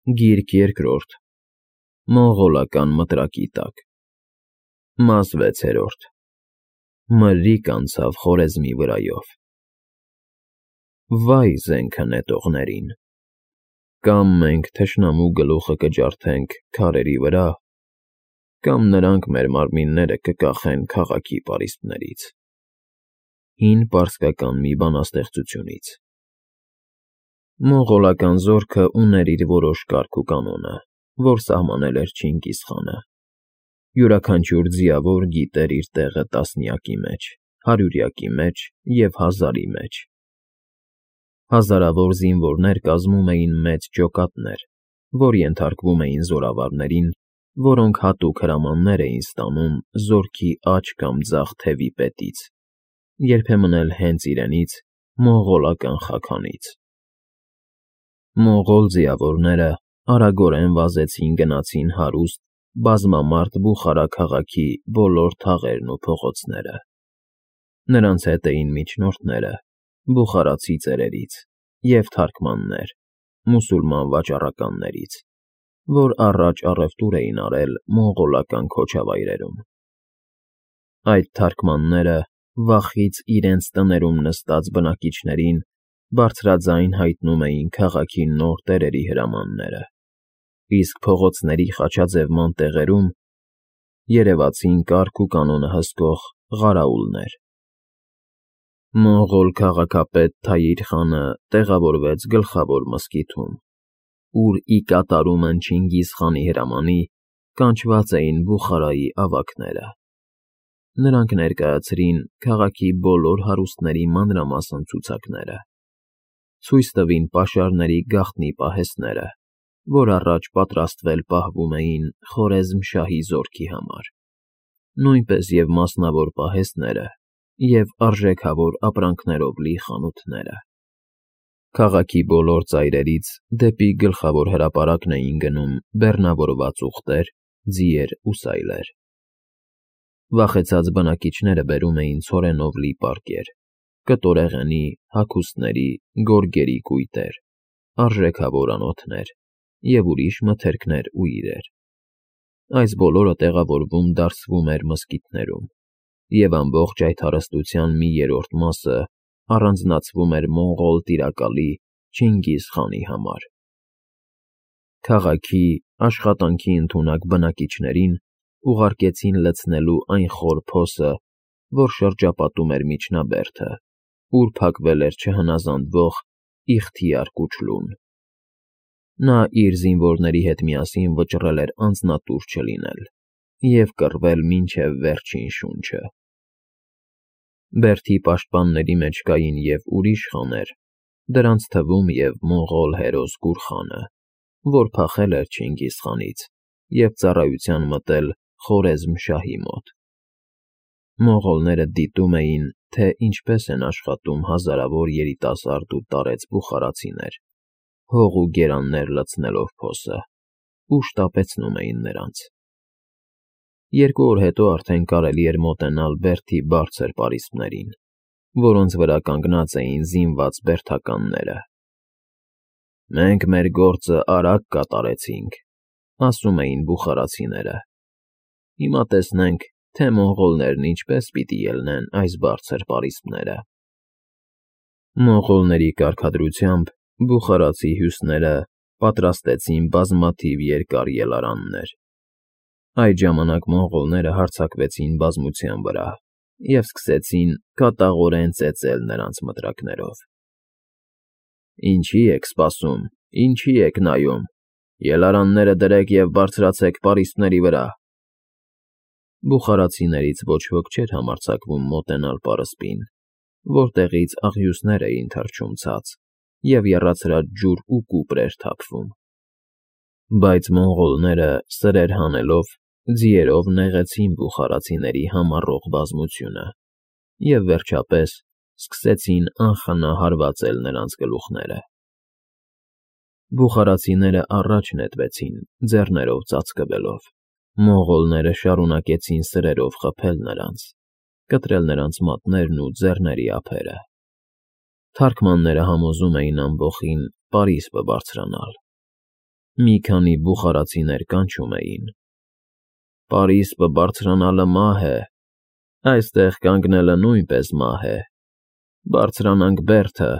Գիրք երկրորդ Մոնղոլական մտրակի տակ Մաս 6 Մրրիկ անցավ Խորեզմի վրայով Վայ զենքը նետողներին Կամ մենք թշնամու գլուխը կջարդենք քարերի վրա Կամ նրանք մեր մարմինները կկախեն քաղաքի պարիսպներից Հին պարսկական մի բանաստեղծությունից Մոնղոլական զորքը ուներ իր որոշ կարգ ու կանոնը, որ սահմանել էր Չինգիզ խանը Յուրաքանչյուր ձիավոր գիտեր իր տեղը տասնյակի մեջ, հարյուրյակի մեջ և հազարի մեջ Հազարավոր զինվորներ կազմում էին մեծ ջոկատներ, որ ենթարկվում էին զորավարներին, որոնք հատուկ հրամաններ էին ստանում զորքի աջ կամ ձախ թևի պետից, երբեմն էլ հենց իրենից, մոնղոլական խաքանից Մոնղոլ ձիավորները արագորեն վազեցին գնացին հարուստ, բազմամարդ Բուխարա քաղաքի բոլոր թաղերն ու փողոցները Նրանց հետ էին միջնորդները, բուխարացի ծերերից և թարգմաններ, մուսուլման վաճառականներից, որ առաջ առևտուր էին արել մոնղոլական քոչավայրերում Այդ թարգմանները վախից իրենց տներում նստած բնակիչներին բարձրաձայն հայտնում էին քաղաքի նոր տերերի հրամանները, իսկ փողոցների խաչաձևման տեղերում երևացին կարգ ու կանոնը հսկող ղարաուլներ Մոնղոլ քաղաքապետ Թայիր խանը տեղավորվեց գլխավոր մզկիթում, ուր ի կատարումն Չինգիզ խանի հրամանի կանչված էին Բուխարայի ավագները Նրանք ներկայացրին քաղաքի բոլոր հարուստների մանրամասն ցուցակները Ցույց տվին պաշարների գաղտնի պահեստները, որ առաջ պատրաստվել պահվում էին Խորեզմ֊շահի զորքի համար, նույնպես և մասնավոր պահեստները և արժեքավոր ապրանքներով լի խանութները Քաղաքի բոլոր ծայրերից դեպի գլխավոր հրապարակն էին գնում բեռնավորված ուղտեր, ձիեր ու սայլեր Վախեցած բնակիչները բերում էին ցորենով լի պարկեր, կտորեղենի, հագուստների, գորգերի կույտեր, արժեքավոր անոթներ և ուրիշ մթերքներ ու իրեր Այս բոլորը տեղավորվում դարսվում էր մզկիթներում, և ամբողջ այդ հարստության մի երրորդ մասը առանձնացվում էր մոնղոլ տիրակալի Չինգիզ խանի համար Քաղաքի, աշխատանքի ընդունակ բնակիչներին ուղարկեցին լցնելու այն խոր փոսը, որ շրջապատում էր միջնաբերդը, ուր փակվել էր չհնազանդվող Իխթիար Կուչլուն Նա իր զինվորների հետ միասին վճռել էր անձնատուր չլինել և կռվել մինչև վերջին շունչը Բերդի պաշտպանների մեջ կային և ուրիշ խաներ, դրանց թվում և մոնղոլ հերոս Գուրխանը, որ փախել էր Չինգիզ խանից և ծառայության մտել Խորեզմ֊շահի մոտ Մոնղոլները դիտում էին, թե ինչպես են աշխատում հազարավոր երիտասարդ ու տարեց բուխարացիներ, հող ու գերաններ լցնելով փոսը, ու շտապեցնում էին նրանց 2 օր հետո արդեն կարելի էր մոտենալ Բերդի բարձր պարիսպներին, որոնց վրա կանգնած էին զինված բերդականները Մենք մեր գործը արագ կատարեցինք, ասում էին բուխարացիները Հիմա տեսնենք, թե մոնղոլներն ինչպես պիտի ելնեն այս բարձր պարիսպները Մոնղոլների կարգադրությամբ բուխարացի հյուսները պատրաստեցին բազմաթիվ երկար ելարաններ Այդ ժամանակ մոնղոլները հարձակվեցին բազմության վրա և սկսեցին կատաղորեն ծեծել նրանց մտրակներով Ինչի եք սպասում, ինչի եք նայում, ելարանները դրեք և բարձրացեք պարիսպների վրա Բուխարացիներից ոչ ոք չէր համարձակվում մոտենալ պարսպին, որտեղից աղյուսներ էին թռչում ցած և եռացրած ջուր ու կուպր էր թափվում Բայց մոնղոլները, սրեր հանելով, ձիերով նեղեցին բուխարացիների համառող բազմությունը և, վերջապես, սկսեցին անխնա հարվածել նրանց գլուխները Բուխարացիները առաջ նետվեցին, ձեռներով ծածկվելով Մոնղոլները շարունակեցին սրերով խփել նրանց, կտրել նրանց մատներն ու ձեռների ափերը Թարգմանները համոզում էին ամբոխին պարիսպը բարձրանալ Մի քանի բուխարացիներ կանչում էին. «Պարիսպը բարձրանալը մահ է, այստեղ կանգնելը նույնպես մահ է, բարձրանանք բերդը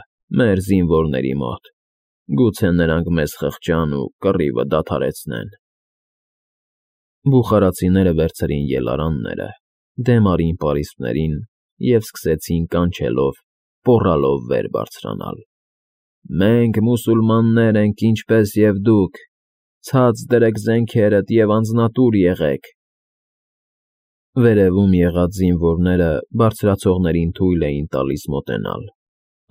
մեր զինվորների մոտ, գուցե նրանք մեզ խղճան ու կռիվը դադարեցնեն»։ Բուխարացիները վերցրին ելարանները, դեմ արին պարիսպներին և սկսեցին կանչելով, պոռալով վեր բարձրանալ. «Մենք մուսուլմաններ ենք ինչպես և դուք, ցած դրեք զենքերդ և անձնատուր եղեք»։ Վերևում եղած զինվորները բարձրացողներին թույլ էին տալիս մոտենալ,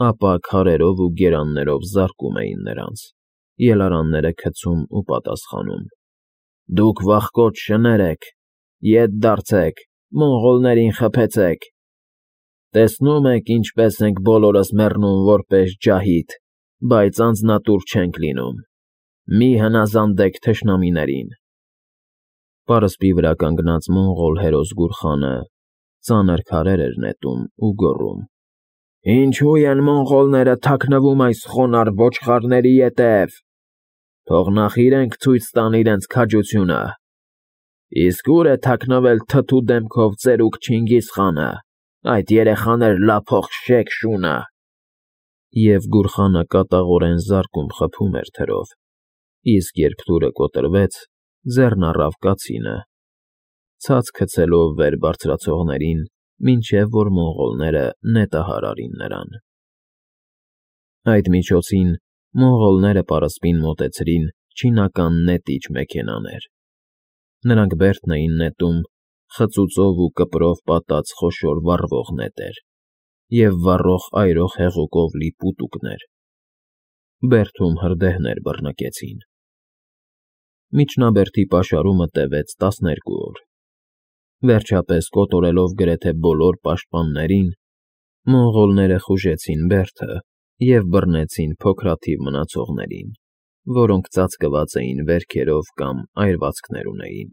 ապա քարերով ու գերաններով զարկում էին նրանց, ելարանները գցում ու պատասխանում. «Դուք վախկոտ շներ եք, ետ դարձեք, մոնղոլներին խփեցեք։ Տեսնում եք ինչպես ենք բոլորս մեռնում որպես ջահիդ, բայց անձնատուր չենք լինում, մի հնազանդեք թշնամիներին»։ Պարսպի վրա կանգնած մոնղոլ հերոս Գուրխանը ծանր քարեր էր նետում ու գոռում. «Ինչո՞ւ են մոնղոլները թաքնվում այս խոնարհ ոչխարների ետև, թող նախ իրենք ցույց տան իրենց քաջությունը։ Իսկ ո՞ւր է թաքնվել թթու դեմքով ծերուկ Չինգիզ խանը, այդ երեխաներ լափող շեք շունը»։ Եվ Գուրխանը կատաղորեն զարկում խփում էր թրով, իսկ երբ թուրը կոտրվեց, ձեռն առավ կացինը, ցած գցելով վեր բարձրացողներին, մինչև որ մոնղոլները նետահար արին նրան։ Այդ միջոցին մոնղոլները պարսպին մոտեցրին չինական նետիչ մեքենաներ։ Նրանք բերդն էին նետում խծուծով ու կպրով պատած խոշոր վառվող նետեր և վառող այրող հեղուկով լի պուտուկներ։ Բերդում հրդեհներ բռնկեցին։ Միջնաբերդի պաշարումը տևեց 12 օր։ Վերջապես, կոտորելով գրեթե բոլոր պաշտպաններին, մոնղոլները խուժեցին բերդը և բռնեցին փոքրաթիվ մնացողներին, որոնք ծածկված էին վերքերով կամ այրվածքներ ունեին։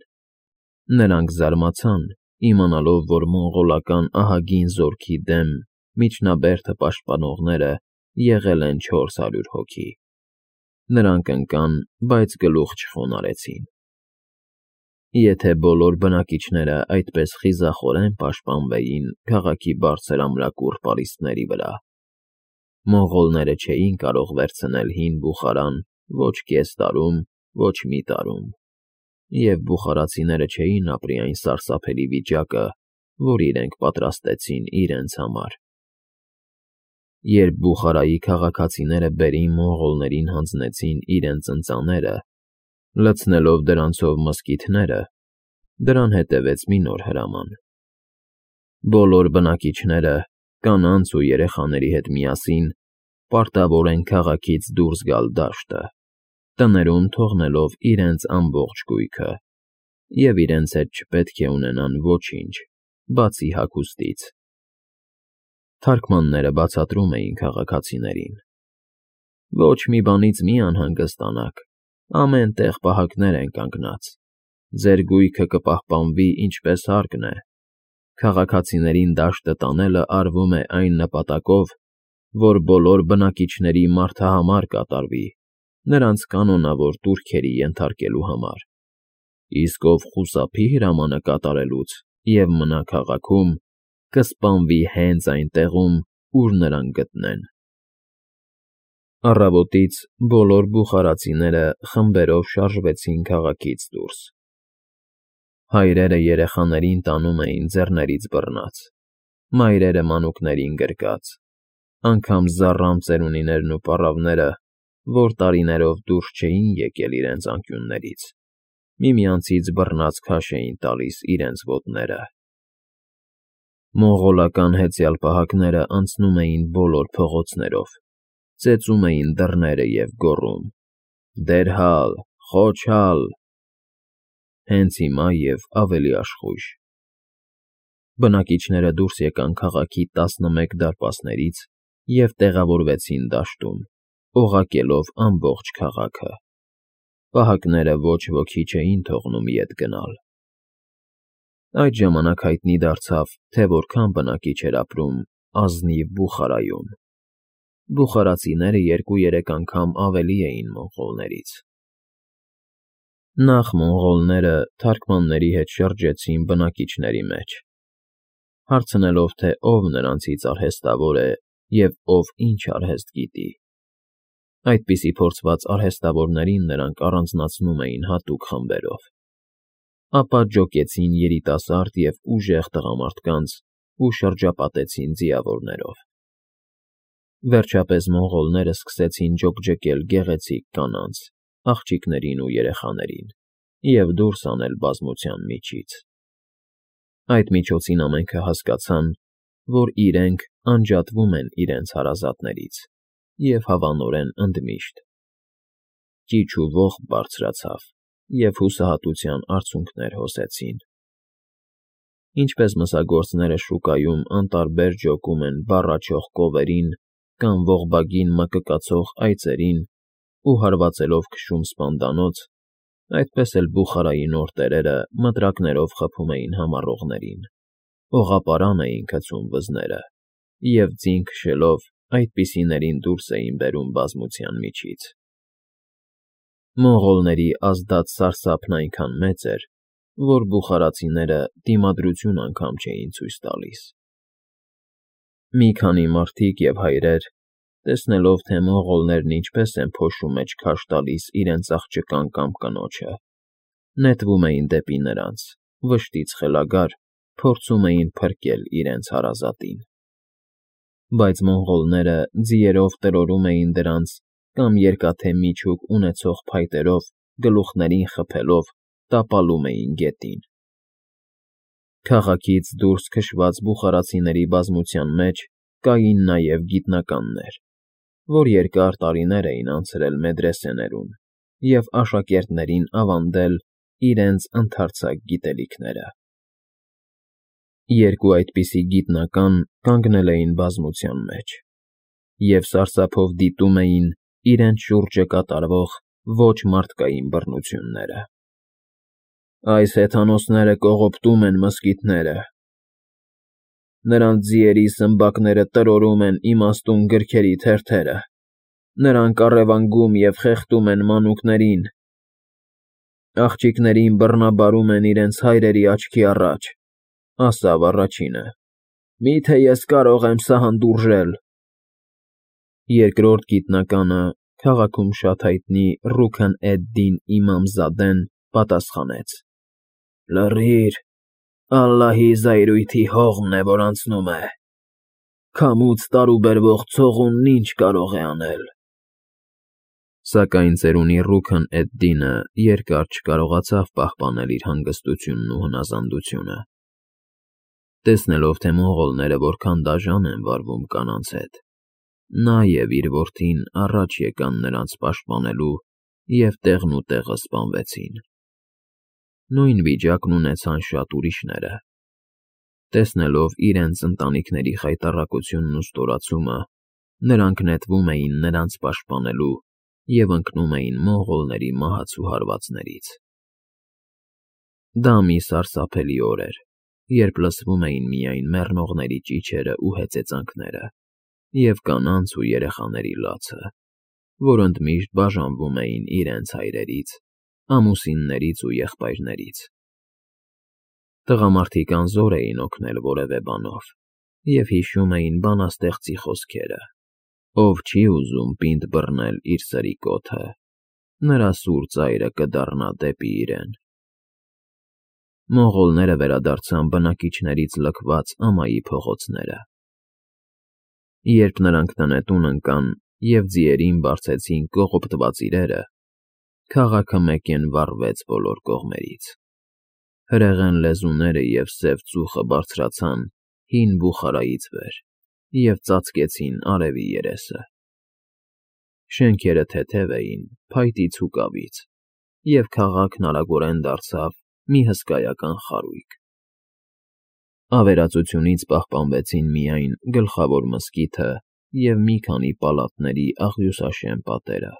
Նրանք զարմացան, իմանալով, որ մոնղոլական ահագին զորքի դեմ միջնաբերդը պաշտպանողները եղել են 400 հոգի։ Նրանք ընկան, բայց գլուխ չխոնարհեցին։ Եթե բոլոր բնակիչները այդպես խիզախորեն պաշտպանվեին քաղաքի բարձր ամրակուռ պարիսպների վրա, մոնղոլները չէին կարող վերցնել հին Բուխարան ոչ կես տարում, ոչ մի տարում, և բուխարացիները չէին ապրի այն սարսափելի վիճակը, որ իրենք պատրաստեցին իրենց համար։ Երբ Բուխարայի քաղաքացիները բերին մոնղոլներին հանձնեցին իրենց ընծաները, լցնելով դրանցով մզկիթները, դրան հետևեց մի նոր հրաման։ Բոլոր բնակիչները, կանանց ու երեխաների հետ միասին, պարտավոր են քաղաքից դուրս գալ դաշտը, տներում թողնելով իրենց ամբողջ գույքը, և իրենց հետ չպետք է ունենան ոչինչ, բացի հագուստից։ Թարգմանները բացատրում էին քաղաքացիներին. «Ոչ մի բանից մի անհանգստանաք, ամեն տեղ պահակներ են կանգնած, ձեր գույքը կպահպանվի ինչպես հարկն է։ Քաղաքացիներին դաշտը տանելը արվում է այն նպատակով, որ բոլոր բնակիչների մարդահամար կատարվի, նրանց կանոնավոր տուրքերի ենթարկելու համար։ Իսկ ով խուսափի հրամանը կատարելուց և մնա քաղաքում, կսպանվի հենց այն տեղում, ուր նրան գտնեն»։ Առավոտից բոլոր բուխարացիները խմբերով շարժվեցին քաղաքից դուրս։ Հայրերը երեխաներին տանում էին ձեռներից բռնած, մայրերը մանուկներին գրկած, անգամ զառամ ծերունիներն ու պառավները, որ տարիներով դուրս չէին եկել իրենց անկյուններից, միմյանցից բռնած քաշ էին տալիս իրենց ոտները։ Մոնղոլական հեծյալ պահակները անցնում էին բոլոր փողոցներով, ծեծում էին դռները և գոռում. «Դերհալ, Խոչալ»։ Հենց հիմա և ավելի աշխույժ։ Բնակիչները դուրս եկան քաղաքի 11 դարպասներից և տեղավորվեցին դաշտում, օղակելով ամբողջ քաղաքը։ Պահակները ոչ ոքի չէին թողնում ետ գնալ։ Այդ ժամանակ հայտնի դարձավ, թե որքան բնակիչ էր ապրում ազնիվ Բուխարայում։ Բուխարացիները 2-3 անգամ ավելի էին մոնղոլներից։ Նախ մոնղոլները թարգմանների հետ շրջեցին բնակիչների մեջ, հարցնելով, թե ով նրանցից արհեստավոր է և ով ինչ արհեստ գիտի։ Այդպիսի փորձված արհեստավորներին նրանք առանձնացնում էին հատուկ խմբերով, ապա ջոկեցին երիտասարդ և ուժեղ տղամարդկանց ու շրջապատեցին ձիավորներով։ Վերջապես մոնղոլները սկսեցին ջոկջկել գեղեցիկ կանանց, աղջիկներին ու երեխաներին և դուրս անել բազմության միջից։ Այդ միջոցին ամենքը հասկացան, որ իրենք անջատվում են իրենց հարազատներից և հավանորեն ընդմիշտ։ Ճիչ ու ողբ բարձրացավ, և հուսահատության արցունքներ հոսեցին։ Ինչպես մսագործները շուկայում անտարբեր ջոկում են բառաչող կովերին կամ ողբագին մկկացող այծերին ու հարվածելով քշում սպանդանոց, այդպես էլ Բուխարայի նոր տերերը մտրակներով խփում էին համառողներին, օղապարան էին գցում վզները և ձին քշելով այդպիսիներին դուրս էին բերում բազմության միջից։ Մոնղոլների ազդած սարսափն այնքան մեծ էր, որ բուխարացիները դիմադրություն անգամ չէին ցույց տալիս։ Մի քանի մարդիկ և հայրեր, տեսնելով, թե մոնղոլներն ինչպես են փոշու մեջ քարշ տալիս իրենց աղջկան կամ կնոջը, նետվում էին դեպի նրանց, վշտից խելագար, փորձում էին փրկել իրենց հարազատին։ Բայց մոնղոլները ձիերով տրորում էին դրանց կամ երկաթե միջուկ ունեցող փայտերով գլուխներին խփելով տապալում էին գետին։ Քաղաքից դուրս քշված բուխարացիների բազմության մեջ կային նաև գիտնականներ, որ երկար տարիներ էին անցրել մեդրեսեներում և աշակերտներին ավանդել իրենց ընդարձակ գիտելիքները։ Երկու այդպիսի գիտնական կանգնել էին բազմության մեջ և սարսափով դիտում էին իրենց շուրջը կատարվող ոչ մարդկային բռնությունները։ Այս հեթանոսները կողոպտում են մզկիթները, նրանց ձիերի սմբակները տրորում են իմաստուն գրքերի թերթերը, նրանք առևանգում և խեղդում են մանուկներին, աղջիկներին բռնաբարում են իրենց հայրերի աչքի առաջ, ասավ առաջինը. «Մի՞թե ես կարող եմ սա հանդուրժել»։ Երկրորդ գիտնականը, քաղաքում շատ հայտնի Ռուքն-էդ֊Դին Իմամզադեն պատասխանեց. «Լռիր, Ալլահի զայրույթի հողն է, որ անցնում է, քամուց տարուբերվող ցողունն ինչ կարող է անել»։ Սակայն ծերունի Ռուքն֊էդ֊Դինը երկար չկարողացավ պահպանել իր հանգստությունն ու հնազանդությունը։ Տեսնելով, թե մոնղոլները որքան դաժան են վարվում կանանց հետ, նա և իր որդին առաջ եկան նրանց պաշտպանելու և տեղնուտեղը սպանվեցին։ Նույն վիճակն ունեցան շատ ուրիշները։ Տեսնելով իրենց ընտանիքների խայտառակությունն ու ստորացումը, նրանք նետվում էին նրանց պաշտպանելու և ընկնում էին մոնղոլների մահացու հարվածներից։ Դա մի սարսափելի օր էր, երբ լսվում էին միայն մեռնողների ճիչերն ու հեծեծանքները և կանանց ու երեխաների լացը, որ ընդմիշտ բաժանվում էին իրենց հայրերից, ամուսիններից ու եղբայրներից։ Տղամարդիկ անզոր էին օգնել որևէ բանով և հիշում էին բանաստեղծի խոսքերը. «Ով չի ուզում պինդ բռնել իր սրի կոթը, նրա սուր ծայրը կդառնա դեպի իրեն»։ Մոնղոլները վերադարձան բնակիչներից լքված ամայի փողոցները։ Երբ նրանք տնետուն ընկան և ձիերին բարձեցին կողոպտված իրերը, քաղաքը մեկեն վառվեց բոլոր կողմերից։ Հրեղեն լեզուները և սև ծուխը բարձրացան հին Բուխարայից վեր և ծածկեցին արևի երեսը։ Շենքերը թեթև էին փայտից ու կավից, և քաղաքն արագորեն դարձավ մի հսկայական խարույկ։ Ավերածությունից պահպանվեցին միայն գլխավոր մզկիթը և մի քանի պալատների աղյուսաշեն պատերը։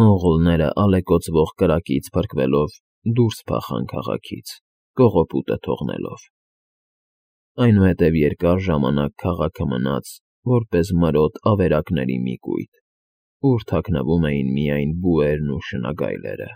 Մոնղոլները ալեկոծվող կրակից փրկվելով դուրս փախան քաղաքից, կողոպուտը թողնելով։ Այնուհետև երկար ժամանակ քաղաքը մնաց որպես մրոտ ավերակների մի կույտ, ուր թաքնվում էին միայն բուերն ու շնագայլերը։